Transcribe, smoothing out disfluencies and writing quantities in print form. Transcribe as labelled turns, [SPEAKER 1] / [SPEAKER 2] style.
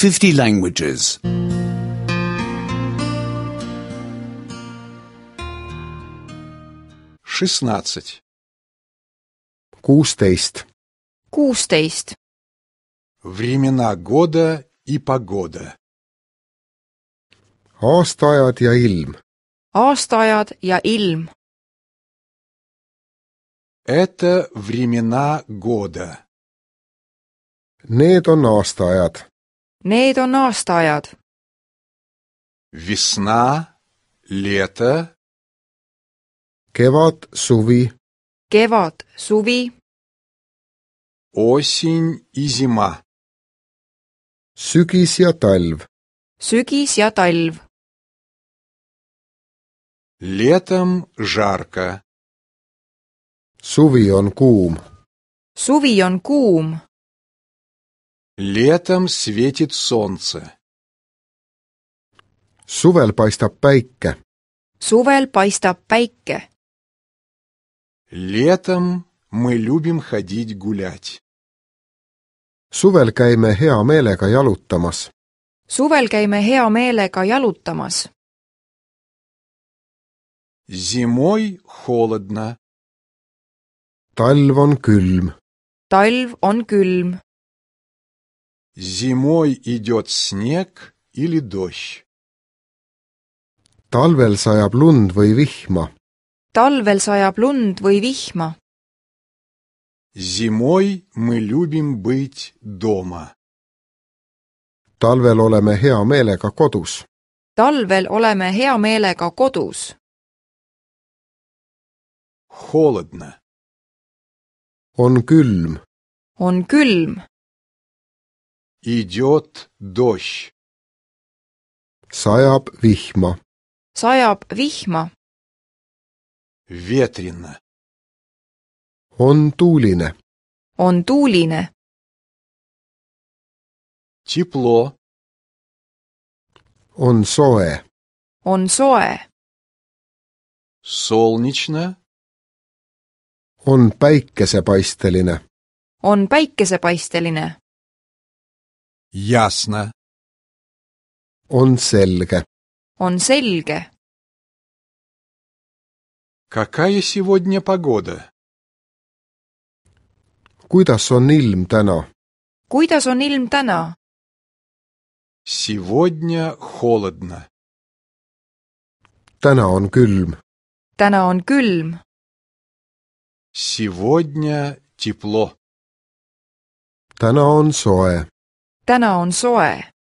[SPEAKER 1] 50 languages.
[SPEAKER 2] 16.
[SPEAKER 3] 16.
[SPEAKER 4] 16.
[SPEAKER 2] Времена года и погода.
[SPEAKER 3] Aastaajad ja ilm.
[SPEAKER 4] Aastaajad ja ilm.
[SPEAKER 2] Это времена года.
[SPEAKER 3] Need on aastaajad.
[SPEAKER 4] Need on aastaajad.
[SPEAKER 2] Весна, лето,
[SPEAKER 3] Kevad, suvi,
[SPEAKER 4] Kevad, suvi,
[SPEAKER 2] осень и зима.
[SPEAKER 3] sügis ja talv.
[SPEAKER 4] sügis ja talv.
[SPEAKER 2] Летом жарко,
[SPEAKER 3] Suvi on kuum.
[SPEAKER 4] Suvi on kuum.
[SPEAKER 2] летом светит солнце.
[SPEAKER 3] Suvel paistab päike.
[SPEAKER 4] Suvel paistab päike.
[SPEAKER 2] Летом мы любим ходить гулять.
[SPEAKER 3] Suvel käime hea meelega jalutamas.
[SPEAKER 4] Suvel käime hea meelega jalutamas.
[SPEAKER 2] Зимой холодно,
[SPEAKER 3] Talv on külm.
[SPEAKER 4] Talv on külm.
[SPEAKER 2] зимой идет снег или дождь.
[SPEAKER 3] Talvel sajab lund või vihma.
[SPEAKER 4] Talvel sajab lund või vihma.
[SPEAKER 2] Зимой мы любим быть дома.
[SPEAKER 3] Talvel oleme hea meelega kodus.
[SPEAKER 4] Talvel oleme hea meelega kodus.
[SPEAKER 2] Холодно,
[SPEAKER 3] On külm.
[SPEAKER 4] On külm.
[SPEAKER 2] идет дождь.
[SPEAKER 3] Sajab vihma.
[SPEAKER 4] Sajab vihma.
[SPEAKER 2] Ветрено,
[SPEAKER 3] On tuuline.
[SPEAKER 4] On tuuline.
[SPEAKER 2] тепло,
[SPEAKER 3] On soe.
[SPEAKER 4] On soe.
[SPEAKER 2] солнечно,
[SPEAKER 3] On päikesepaisteline.
[SPEAKER 4] On päikesepaisteline.
[SPEAKER 2] ясно.
[SPEAKER 3] On selge.
[SPEAKER 4] On selge.
[SPEAKER 2] Какая сегодня погода?
[SPEAKER 3] Kuidas on ilm täna?
[SPEAKER 4] Kuidas on ilm täna?
[SPEAKER 2] Сегодня холодно.
[SPEAKER 3] Täna on külm.
[SPEAKER 4] Täna on külm.
[SPEAKER 2] Сегодня тепло.
[SPEAKER 3] Täna on soe.
[SPEAKER 4] Täna on soe.